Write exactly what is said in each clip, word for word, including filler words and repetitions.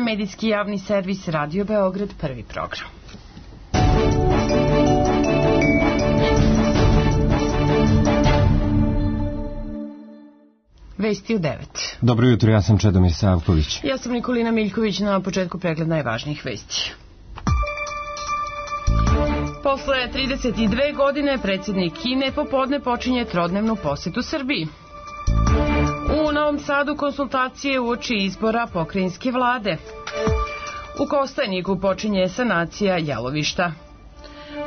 medijski javni servis Radio Beograd, prvi program. Vesti u devet. Dobro jutro, ja sam Čedomir Savković. Ja sam Nikolina Miljković, na početku pregled najvažnijih vesti. Posle trideset dve godine predsjednik Kine popodne počinje trodnevnu posetu Srbiji. U Novom Sadu konsultacije uoči izbora pokrajinske vlade. U Kostajniku počinje sanacija jalovišta.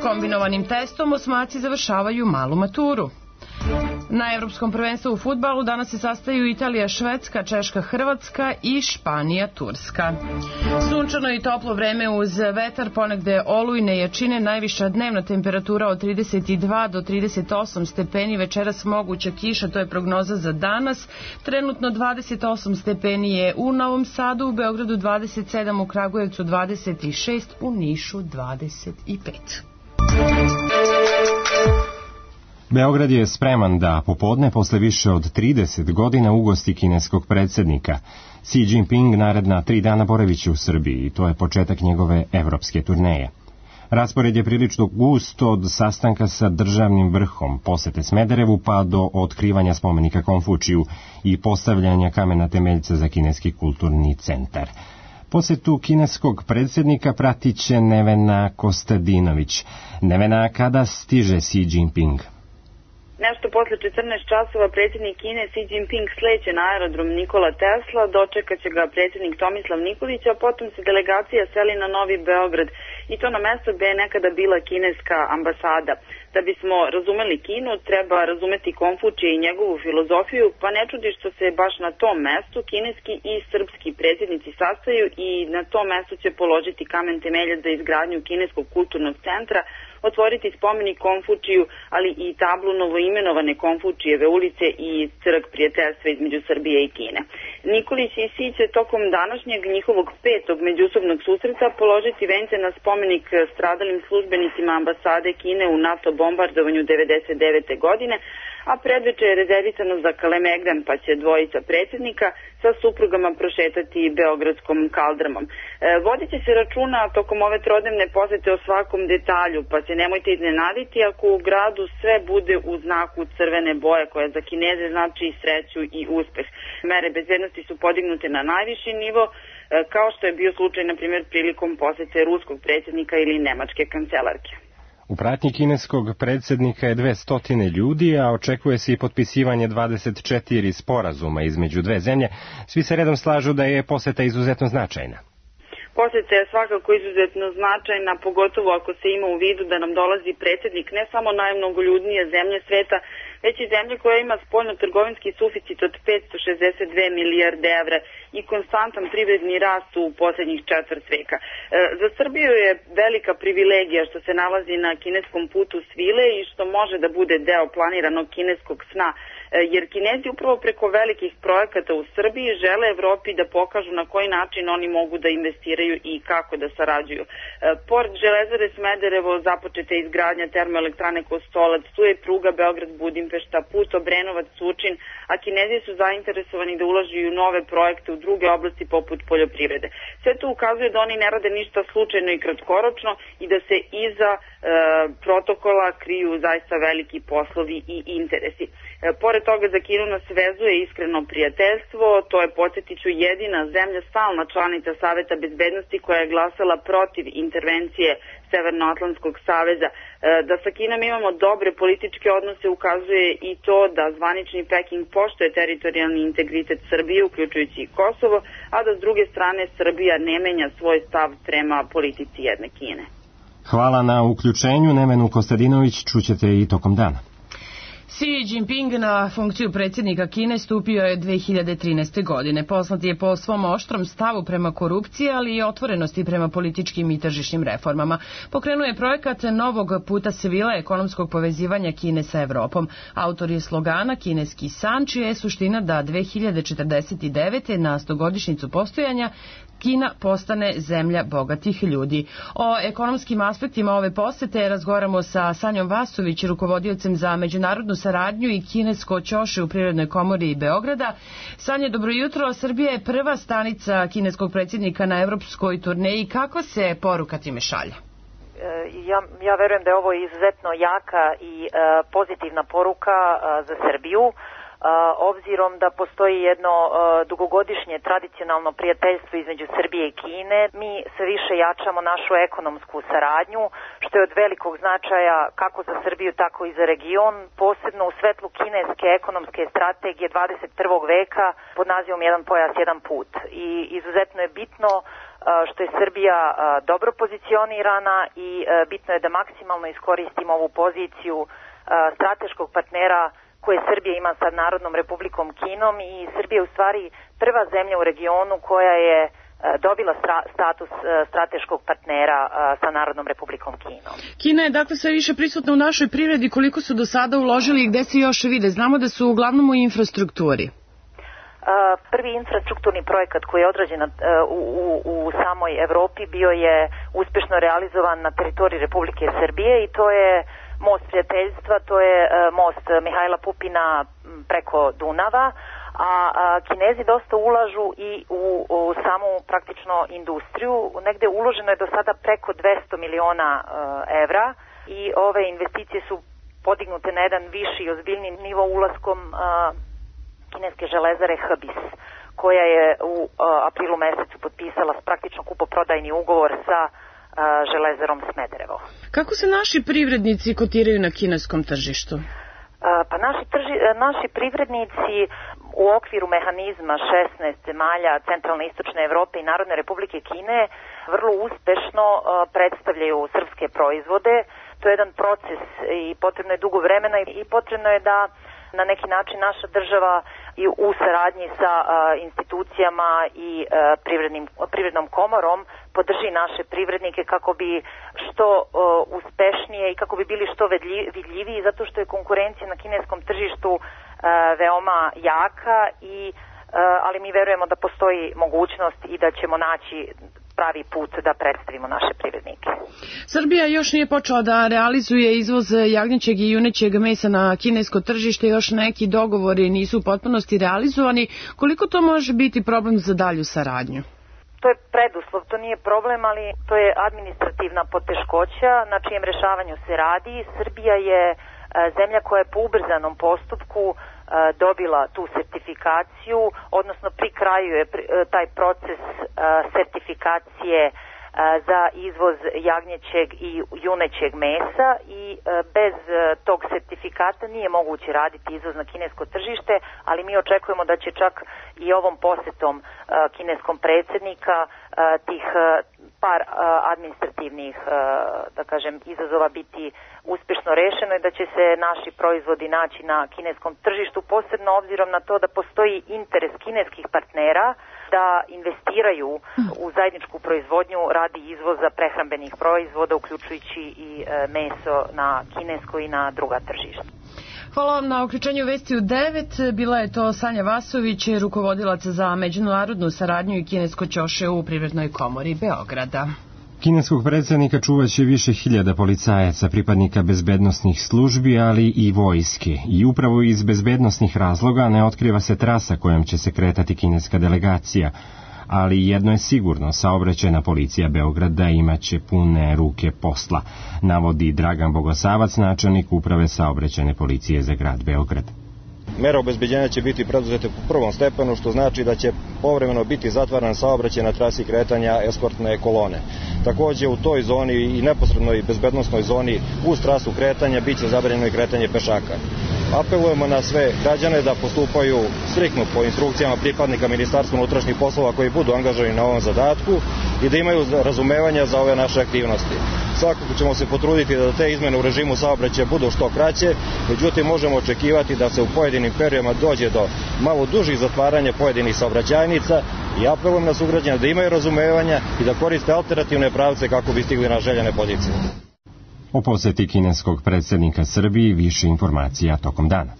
Kombinovanim testom osmaci završavaju malu maturu. Na Evropskom prvenstvu u fudbalu danas se sastaju Italija, Švedska, Češka, Hrvatska i Španija, Turska. Sunčano i toplo vreme uz vetar, ponegde olujne jačine, najviša dnevna temperatura od trideset dva do trideset osam stepeni, večeras moguća kiša, to je prognoza za danas. Trenutno dvadeset osam stepeni je u Novom Sadu, u Beogradu dvadeset sedam, u Kragujevcu dvadeset šest, u Nišu dvadeset pet. Beograd je spreman da popodne, posle više od trideset godina, ugosti kineskog predsjednika. Xi Jinping naredna tri dana boraviće u Srbiji i to je početak njegove evropske turneje. Raspored je prilično gust od sastanka sa državnim vrhom, posete Smederevu pa do otkrivanja spomenika Konfučiju i postavljanja kamena temeljca za kineski kulturni centar. Posetu kineskog predsjednika pratit će Nevena Kostadinović. Nevena, kada stiže Xi Jinping? Nešto posle četrnaest časova predsjednik Kine Xi Jinping sleće na aerodrom Nikola Tesla, dočekat će ga predsjednik Tomislav Nikolić, a potom se delegacija seli na Novi Beograd i to na mesto gde je nekada bila kineska ambasada. Da bismo razumeli Kinu, treba razumeti Konfučija i njegovu filozofiju, pa ne čudi što se baš na tom mestu kineski i srpski predsjednici sastaju i na tom mestu će položiti kamen temeljac za izgradnju kineskog kulturnog centra, otvoriti spomenik Konfučiju, ali i tablu novoimenovane Konfučijeve ulice i trg prijateljstva između Srbije i Kine. Nikolić i Xi će tokom današnjeg njihovog petog međusobnog susreta položiti vence na spomenik stradalim službenicima ambasade Kine u NATO bombardovanju devedeset devete. godine, a predveče je rezervisano za Kalemegdan, pa će dvojica predsjednika sa suprugama prošetati beogradskom kaldrmom. E, vodit će se računa tokom ove trodnevne posete o svakom detalju, pa se nemojte iznenaditi ako u gradu sve bude u znaku crvene boje, koja za Kineze znači sreću i uspeh. Mere bezbednosti su podignute na najviši nivo, e, kao što je bio slučaj, na primjer, prilikom posete ruskog predsjednika ili nemačke kancelarke. U pratnji kineskog predsjednika je dvesta ljudi, a očekuje se i potpisivanje dvadeset četiri sporazuma između dve zemlje. Svi se redom slažu da je poseta izuzetno značajna. Poseta je svakako izuzetno značajna, pogotovo ako se ima u vidu da nam dolazi predsjednik ne samo najmnogoljudnije zemlje sveta, već i zemlje koja ima spoljno-trgovinski suficit od petsto šezdeset dve milijarde evra i konstantan privredni rast u posljednjih četvrt veka. E, za Srbiju je velika privilegija što se nalazi na kineskom putu svile i što može da bude deo planiranog kineskog sna, e, jer Kinezi upravo preko velikih projekata u Srbiji žele Evropi da pokažu na koji način oni mogu da investiraju i kako da sarađuju. E, pored železare Smederevo započeta je izgradnja termoelektrane Kostolac, tu je pruga Beograd-Budimpešta, put Obrenovac-Surčin, a Kinezi su zainteresovani da ulažu u nove projekte u druge oblasti poput poljoprivrede. Sve to ukazuje da oni ne rade ništa slučajno i kratkoročno i da se iza e, protokola kriju zaista veliki poslovi i interesi. E, pored toga za Kinu nas vezuje iskreno prijateljstvo, to je, podsjetiću, jedina zemlja stalna članica Saveta bezbednosti koja je glasala protiv intervencije Severnoatlantskog saveza. E, da sa Kinom imamo dobre političke odnose ukazuje i to da zvanični Peking poštuje teritorijalni integritet Srbije, uključujući i Kosovo, a da s druge strane Srbija ne menja svoj stav prema politici jedne Kine. Hvala na uključenju, Nevenu Kostadinović, čućete i tokom dana. Xi Jinping na funkciju predsjednika Kine stupio je dve hiljade trinaeste. godine. Poznat je po svom oštrom stavu prema korupciji, ali i otvorenosti prema političkim i tržišnim reformama. Pokrenuo je projekat novog puta svila ekonomskog povezivanja Kine sa Evropom. Autor je slogana Kineski san, čija je suština da dve hiljade četrdeset devete. na stogodišnjicu postojanja Kina postane zemlja bogatih ljudi. O ekonomskim aspektima ove posete razgovaramo sa Sanjom Vasović, rukovodiocem za međunarodnu saradnju i kinesko ćoše u Privrednoj komori Beograda. Sanja, dobro jutro. Srbija je prva stanica kineskog predsjednika na evropskoj turneji. Kakva se poruka time šalje? Ja, ja verujem da je ovo izuzetno jaka i e, pozitivna poruka e, za Srbiju, e, obzirom da postoji jedno e, dugogodišnje tradicionalno prijateljstvo između Srbije i Kine. Mi sve više jačamo našu ekonomsku saradnju, što je od velikog značaja kako za Srbiju, tako i za region, posebno u svetlu kineske ekonomske strategije dvadeset prvog veka pod nazivom Jedan pojas, jedan put. I izuzetno je bitno što je Srbija dobro pozicionirana i bitno je da maksimalno iskoristimo ovu poziciju strateškog partnera koje Srbija ima sa Narodnom Republikom Kinom i Srbija je u stvari prva zemlja u regionu koja je dobila status strateškog partnera sa Narodnom Republikom Kinom. Kina je dakle sve više prisutna u našoj privredi. Koliko su do sada uložili i gde se još vide? Znamo da su uglavnom u infrastrukturi. Prvi infrastrukturni projekat koji je odrađen u, u, u samoj Evropi bio je uspešno realizovan na teritoriji Republike Srbije i to je most prijateljstva, to je most Mihajla Pupina preko Dunava, a, a Kinezi dosta ulažu i u, u samu praktično industriju. Negde uloženo je do sada preko dvesta miliona evra i ove investicije su podignute na jedan viši i ozbiljni nivo ulaskom a, kineske železare H B I S, koja je u uh, aprilu mesecu potpisala praktično kupoprodajni ugovor sa uh, železarom Smederevo. Kako se naši privrednici kotiraju na kineskom tržištu? Uh, pa naši, trži, naši privrednici u okviru mehanizma šesnaest zemalja Centralne i Istočne Evrope i Narodne Republike Kine vrlo uspešno uh, predstavljaju srpske proizvode. To je jedan proces i potrebno je dugo vremena i potrebno je da na neki način naša država i u saradnji sa a, institucijama i a, privrednim, privrednom komorom podrži naše privrednike kako bi što a, uspešnije i kako bi bili što vidljiviji, zato što je konkurencija na kineskom tržištu a, veoma jaka, i, a, ali mi verujemo da postoji mogućnost i da ćemo naći pravi put da predstavimo naše privrednike. Srbija još nije počela da realizuje izvoz jagnjećeg i junećeg mesa na kinesko tržište, još neki dogovori nisu u potpunosti realizovani. Koliko to može biti problem za dalju saradnju? To je preduslov, to nije problem, ali to je administrativna poteškoća na čijem rešavanju se radi. Srbija je zemlja koja je po ubrzanom postupku dobila tu sertifikaciju, odnosno pri kraju je taj proces sertifikacije za izvoz jagnjećeg i junećeg mesa i bez tog sertifikata nije moguće raditi izvoz na kinesko tržište, ali mi očekujemo da će čak i ovom posetom kineskom predsjednika tih par administrativnih, da kažem, izazova biti uspešno rešeno i da će se naši proizvodi naći na kineskom tržištu, posebno obzirom na to da postoji interes kineskih partnera da investiraju u zajedničku proizvodnju radi izvoza prehrambenih proizvoda, uključujući i meso na kinesko i na druga tržišta. Hvala vam na uključenju vesti u devet. Bila je to Sanja Vasović, rukovodilac za međunarodnu saradnju i kinesko ćoše u Privrednoj komori Beograda. Kineskog predsjednika čuvaće više hiljada policajaca, pripadnika bezbednosnih službi, ali i vojske. I upravo iz bezbednosnih razloga ne otkriva se trasa kojom će se kretati kineska delegacija. Ali jedno je sigurno, saobraćajna policija Beograda imaće pune ruke posla, navodi Dragan Bogosavac, načelnik uprave saobraćajne policije za grad Beograd. Mere obezbeđenja će biti preduzete po prvom stepenu, što znači da će povremeno biti zatvaran saobraćaj na trasi kretanja eskortne kolone. Takođe u toj zoni i neposrednoj bezbednosnoj zoni uz trasu kretanja biće zabranjeno i kretanje pešaka. Apelujemo na sve građane da postupaju striktno po instrukcijama pripadnika Ministarstva unutrašnjih poslova koji budu angažovani na ovom zadatku i da imaju razumevanja za ove naše aktivnosti. Svakako ćemo se potruditi da te izmene u režimu saobraćaja budu što kraće, međutim možemo očekivati da se u pojedinim periodima dođe do malo dužih zatvaranja pojedinih saobraćajnica i apelujem na sugrađane da imaju razumevanja i da koriste alternativne pravce kako bi stigli na željene pozicije. O poseti kineskog predsjednika Srbiji više informacija tokom dana.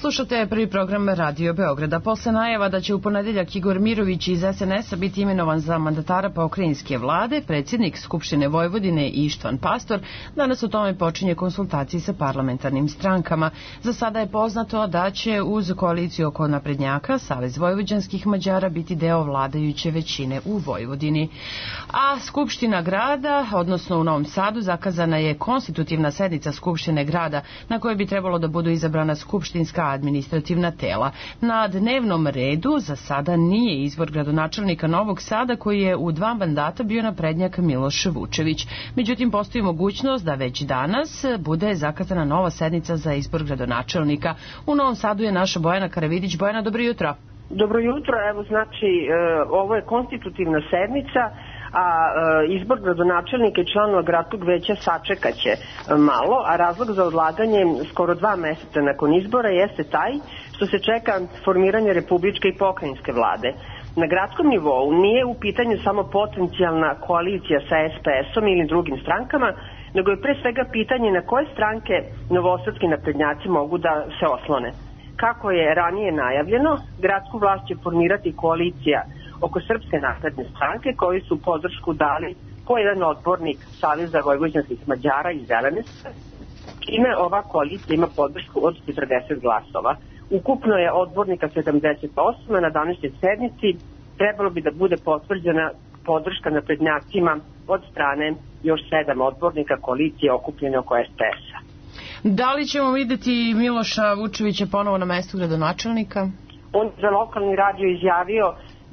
Slušate prvi program Radio Beograda. Posle najava da će u ponedeljak Igor Mirović iz es en es-a biti imenovan za mandatara pokrajinske vlade, predsjednik Skupštine Vojvodine Ištvan Pastor danas o tome počinje konsultacije sa parlamentarnim strankama. Za sada je poznato da će uz koaliciju oko naprednjaka Savez vojvođanskih Mađara biti deo vladajuće većine u Vojvodini. A Skupština grada, odnosno u Novom Sadu, zakazana je konstitutivna sednica Skupštine grada na kojoj bi trebalo da budu izabrana skupštinska administrativna tela. Na dnevnom redu za sada nije izbor gradonačelnika Novog Sada koji je u dva mandata bio naprednjak Miloš Vučević. Međutim, postoji mogućnost da već danas bude zakazana nova sednica za izbor gradonačelnika. U Novom Sadu je naša Bojana Karavidić. Bojana, dobro jutro. Dobro jutro, evo znači ovo je konstitutivna sednica, a izbor gradonačelnika i članova gradskog veća sačekaće malo, a razlog za odlaganje skoro dva meseca nakon izbora jeste taj što se čeka formiranje republičke i pokrajinske vlade. Na gradskom nivou nije u pitanju samo potencijalna koalicija sa es pe es-om ili drugim strankama, nego je pre svega pitanje na koje stranke novosadski naprednjaci mogu da se oslone. Kako je ranije najavljeno, gradsku vlast će formirati koalicija oko Srpske napredne stranke koji su podršku dali po jedan odbornik Saveza vojvođanskih Mađara i Zelene, čime ova koalicija ima podršku od četrdeset glasova. Ukupno je odbornika sedamdeset osam, a na današnjoj sednici trebalo bi da bude potvrđena podrška naprednjacima od strane još sedam odbornika koalicije okupljene oko es pe es-a. Da li ćemo videti Miloša Vučevića ponovo na mestu gradonačelnika? On za lokalni radio izjavio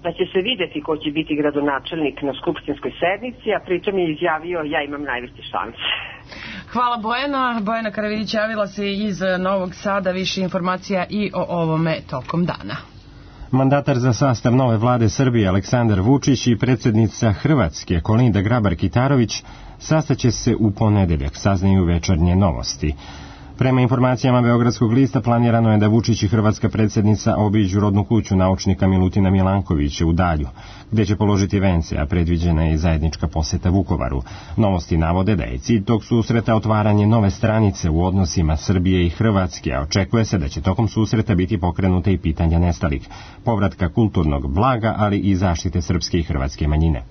da će se videti ko će biti gradonačelnik na skupštinskoj sednici, a pritom je izjavio ja imam najveće šanse. Hvala Bojana. Bojana Karavidić javila se iz Novog Sada. Više informacija i o ovome tokom dana. Mandatar za sastav nove vlade Srbije Aleksandar Vučić i predsjednica Hrvatske Kolinda Grabar-Kitarović sastaće se u ponedeljak, saznaju Večernje novosti. Prema informacijama Beogradskog lista planirano je da Vučić i hrvatska predsjednica obiđu rodnu kuću naučnika Milutina Milankovića u Dalju, gde će položiti vence, a predviđena je zajednička poseta Vukovaru. Novosti navode da je cilj tog susreta otvaranje nove stranice u odnosima Srbije i Hrvatske, a očekuje se da će tokom susreta biti pokrenuta i pitanja nestalih, povratka kulturnog blaga, ali i zaštite srpske i hrvatske manjine.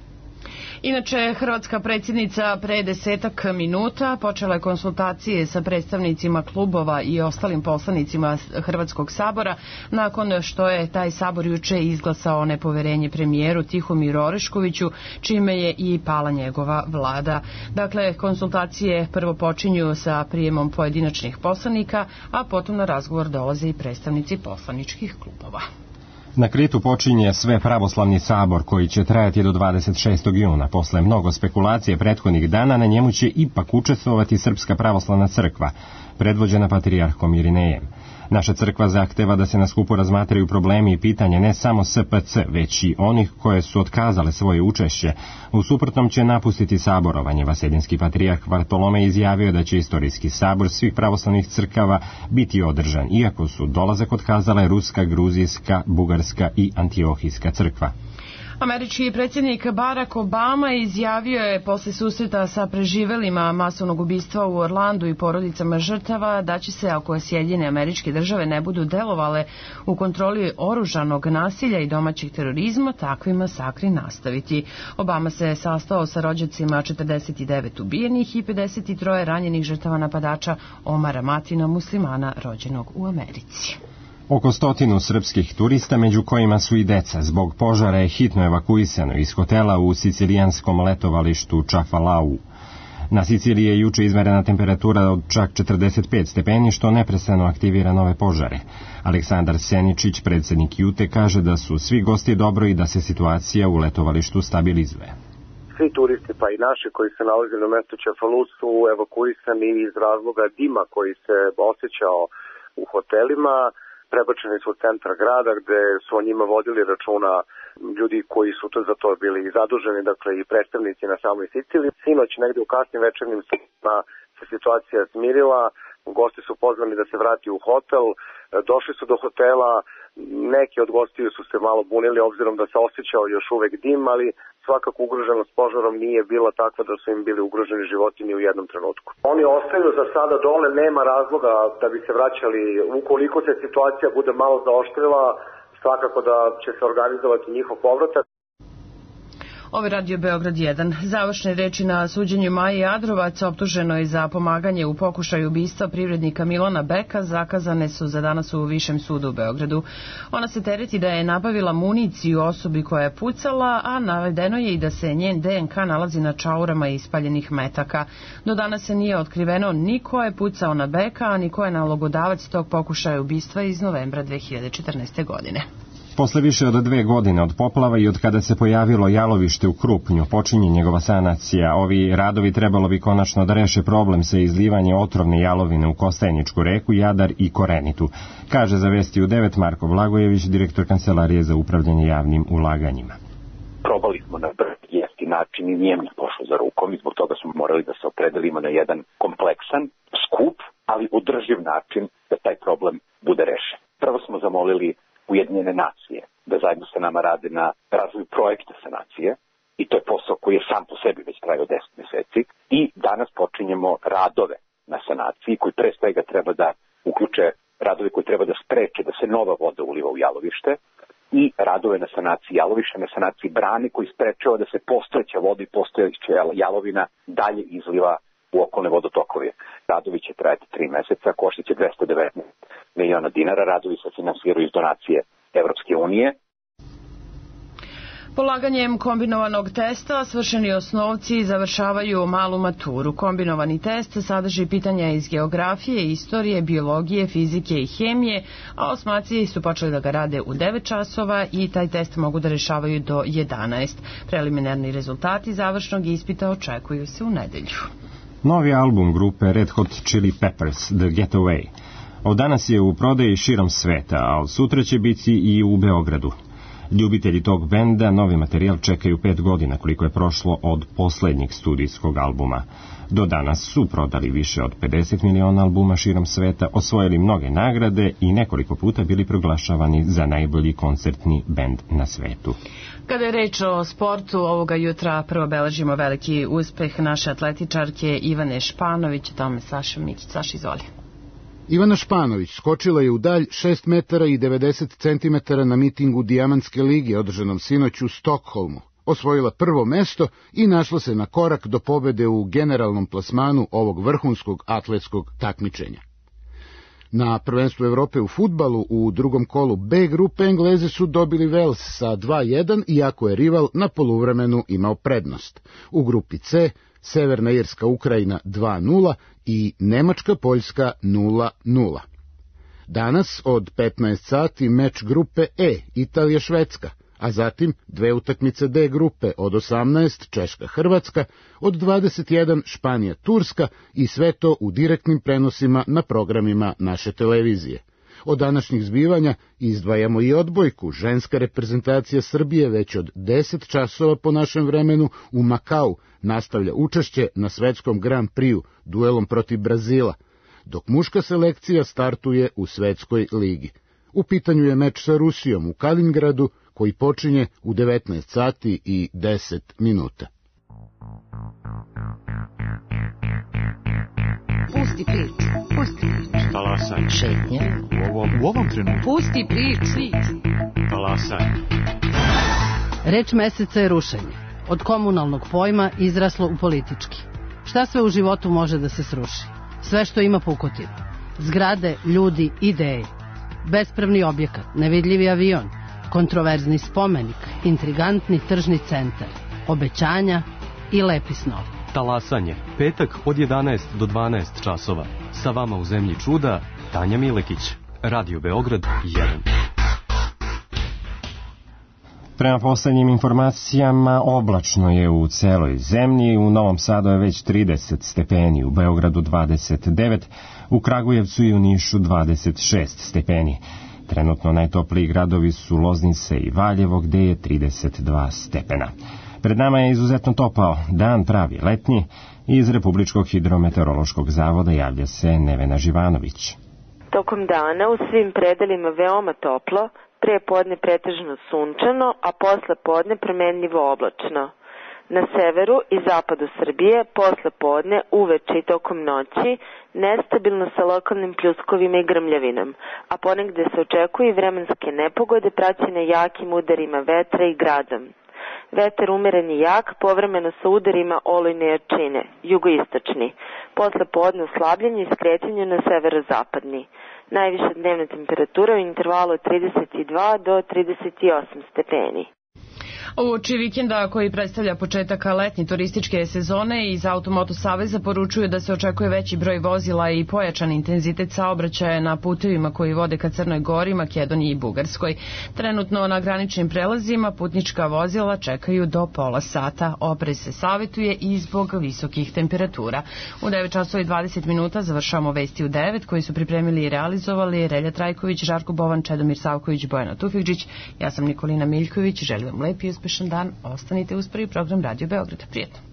Inače, hrvatska predsjednica pre desetak minuta počela je konsultacije sa predstavnicima klubova i ostalim poslanicima Hrvatskog sabora nakon što je taj sabor juče izglasao nepoverenje premijeru Tihomiru Oreškoviću, čime je i pala njegova vlada. Dakle, konsultacije prvo počinju sa prijemom pojedinačnih poslanika, a potom na razgovor dolaze i predstavnici poslaničkih klubova. Na Kritu počinje sve pravoslavni sabor koji će trajati do dvadeset šestog juna. Posle mnogo spekulacije prethodnih dana na njemu će ipak učestvovati Srpska pravoslavna crkva, predvođena patrijarhom Irinejem. Naša crkva zahteva da se na skupu razmatraju problemi i pitanja ne samo es pe ce, već i onih koje su otkazale svoje učešće. U suprotnom će napustiti saborovanje. Vaseljenski patrijarh Vartolomej izjavio da će istorijski sabor svih pravoslavnih crkava biti održan, iako su dolazak otkazale Ruska, Gruzijska, Bugarska i Antiohijska crkva. Američki predsjednik Barack Obama izjavio je posle susreta sa preživelima masovnog ubistva u Orlandu i porodicama žrtava da će se, ako Sjedinjene Američke Države ne budu delovale u kontroli oružanog nasilja i domaćeg terorizma, takvi masakri nastaviti. Obama se sastao sa rođacima četrdeset devet ubijenih i pedeset tri ranjenih žrtava napadača Omara Matina, muslimana rođenog u Americi. Oko stotinu srpskih turista, među kojima su i deca, zbog požara je hitno evakuisano iz hotela u sicilijanskom letovalištu Čafalau. Na Siciliji je juče izmerena temperatura od čak četrdeset pet stepeni, što neprestano aktivira nove požare. Aleksandar Seničić, predsjednik Jute, kaže da su svi gosti dobro i da se situacija u letovalištu stabilizuje. Svi turisti, pa i naši koji se nalaze na mestu Čafalu, su evakuisani iz razloga dima koji se osjećao u hotelima. Prebačeni su u centar grada gde su o njima vodili računa ljudi koji su to za to bili zaduženi, dakle i predstavnici na samoj Siciliji. Sinoć negde u kasnim večernjim satima se situacija smirila, gosti su pozvani da se vrati u hotel, došli su do hotela, neki od gostiju su se malo bunili obzirom da se osjećao još uvek dim, ali svakako ugroženost požarom nije bila takva da su im bili ugroženi životi ni u jednom trenutku. Oni ostaju za sada dole, nema razloga da bi se vraćali. Ukoliko se situacija bude malo zaoštrila, svakako da će se organizovati njihov povratak. Ovo je Radio Beograd jedan. Završne reči na suđenju Maje Adrovac, optuženo je za pomaganje u pokušaju ubistva privrednika Milana Beka, zakazane su za danas u Višem sudu u Beogradu. Ona se tereti da je nabavila municiju osobi koja je pucala, a navedeno je i da se njen D N K nalazi na čaurama ispaljenih metaka. Do danas se nije otkriveno ni ko je pucao na Beka, a ni ko je nalogodavac tog pokušaja ubistva iz novembra dve hiljade četrnaeste. godine. Posle više od dve godine od poplava i od kada se pojavilo jalovište u Krupnju, počinje njegova sanacija. Ovi radovi trebalo bi konačno da reše problem sa izlivanjem otrovne jalovine u Kostajničku reku, Jadar i Korenitu, kaže za Vesti u devet Marko Blagojević, direktor Kancelarije za upravljanje javnim ulaganjima. Probali smo na brz, jeftin način i nije mi pošlo za rukom i zbog toga smo morali da se opredelimo na jedan kompleksan, skup, ali održiv način da taj problem bude rešen. Prvo smo zamolili Ujedinjene nacije da zajedno sa nama rade na razvoju projekta sanacije i to je posao koji je sam po sebi već trajao deset meseci i danas počinjemo radove na sanaciji koji pre svega treba da uključe radove koji treba da spreče da se nova voda uliva u jalovište i radove na sanaciji jalovišta, na sanaciji brane koji sprečava da se postojeća voda i postojeća jalovina dalje izliva u okolne vodotokove. Radovi će trajati tri meseca, koštaće dvesta devetnaest miliona dinara, radovi se finansiraju iz donacije Evropske unije. Polaganjem kombinovanog testa svršeni osnovci završavaju malu maturu. Kombinovani test sadrži pitanja iz geografije, istorije, biologije, fizike i hemije, a osmaci su počeli da ga rade u devet časova i taj test mogu da rešavaju do jedanaest. Preliminarni rezultati završnog ispita očekuju se u nedelju. Novi album grupe Red Hot Chili Peppers, The Getaway, od danas je u prodaji širom sveta, a od sutra će biti i u Beogradu. Ljubitelji tog benda novi materijal čekaju pet godina koliko je prošlo od poslednjeg studijskog albuma. Do danas su prodali više od pedeset miliona albuma širom sveta, osvojili mnoge nagrade i nekoliko puta bili proglašavani za najbolji koncertni bend na svetu. Kada je reč o sportu, ovoga jutra prvo beležimo veliki uspeh naše atletičarke Ivane Španović, tome Saša Mikić. Saša, izvoli. Ivana Španović skočila je u dalj šest metara i devedeset centimetara na mitingu Dijamantske lige održanom sinoć u Stokholmu. Osvojila prvo mesto i našla se na korak do pobede u generalnom plasmanu ovog vrhunskog atletskog takmičenja. Na prvenstvu Evrope u fudbalu u drugom kolu B grupe Englezi su dobili Vels sa dva jedan, iako je rival na poluvremenu imao prednost. U grupi C Severna Irska Ukrajina dva nula i Nemačka Poljska nula nula. Danas od petnaest sati meč grupe E Italija Švedska, a zatim dve utakmice D grupe od osamnaest Češka Hrvatska, od dvadeset jedan Španija Turska i sve to u direktnim prenosima na programima naše televizije. Od današnjih zbivanja izdvajamo i odbojku. Ženska reprezentacija Srbije već od deset časova po našem vremenu u Makau nastavlja učešće na svetskom Grand Prixu duelom protiv Brazila, dok muška selekcija startuje u svetskoj ligi. U pitanju je meč sa Rusijom u Kaliningradu koji počinje u devetnaest sati i deset minuta. Pusti priču, pusti priču. Talasaj. Šetnje. U ovom, u ovom trenutku. Pusti priču. Talasaj. Reč meseca je rušenje. Od komunalnog pojma izraslo u politički. Šta sve u životu može da se sruši? Sve što ima pukotinu. Zgrade, ljudi, ideje. Bespravni objekat, nevidljivi avion, kontroverzni spomenik, intrigantni tržni centar, obećanja i lepi snovi. Talasanje, petak od jedanaest do dvanaest časova. Sa vama u zemlji čuda, Tanja Milekić. Radio Beograd jedan. Prema poslednjim informacijama, oblačno je u celoj zemlji, u Novom Sadu je već trideset stepeni, u Beogradu dvadeset devet, u Kragujevcu i u Nišu dvadeset šest stepeni. Trenutno najtopliji gradovi su Loznica i Valjevo, gde je trideset dva stepena. Pred nama je izuzetno topao dan, pravi letnji, i iz Republičkog hidrometeorološkog zavoda javlja se Nevena Živanović. Tokom dana u svim predelima veoma toplo, pre podne pretežno sunčano, a posle podne promenljivo oblačno. Na severu i zapadu Srbije posle podne, uveče i tokom noći nestabilno sa lokalnim pljuskovima i grmljavinom, a ponegde se očekuju i vremenske nepogode praćene jakim udarima vetra i gradom. Vetar umeren i jak, povremeno sa udarima olujne jačine, jugoistočni. Posle podne oslabljenje i skretanje na severozapadni. Najviša dnevna temperatura u intervalu od trideset dva do trideset osam stepeni. Uoči vikenda koji predstavlja početak letnje turističke sezone, iz Automoto saveza poručuju da se očekuje veći broj vozila i pojačan intenzitet saobraćaja na putevima koji vode ka Crnoj Gori, Makedoniji i Bugarskoj. Trenutno na graničnim prelazima putnička vozila čekaju do pola sata. Oprez se savjetuje i zbog visokih temperatura. U devet časova i dvadeset minuta završavamo Vesti u devet koji su pripremili i realizovali Relja Trajković, Žarko Bovan, Čedomir Savković, Bojana Tufikđić. Ja sam Nikolina Miljković, želim vam lep i uspešan dan. Ostanite uz prvi program Radio Beograda. Prijetno.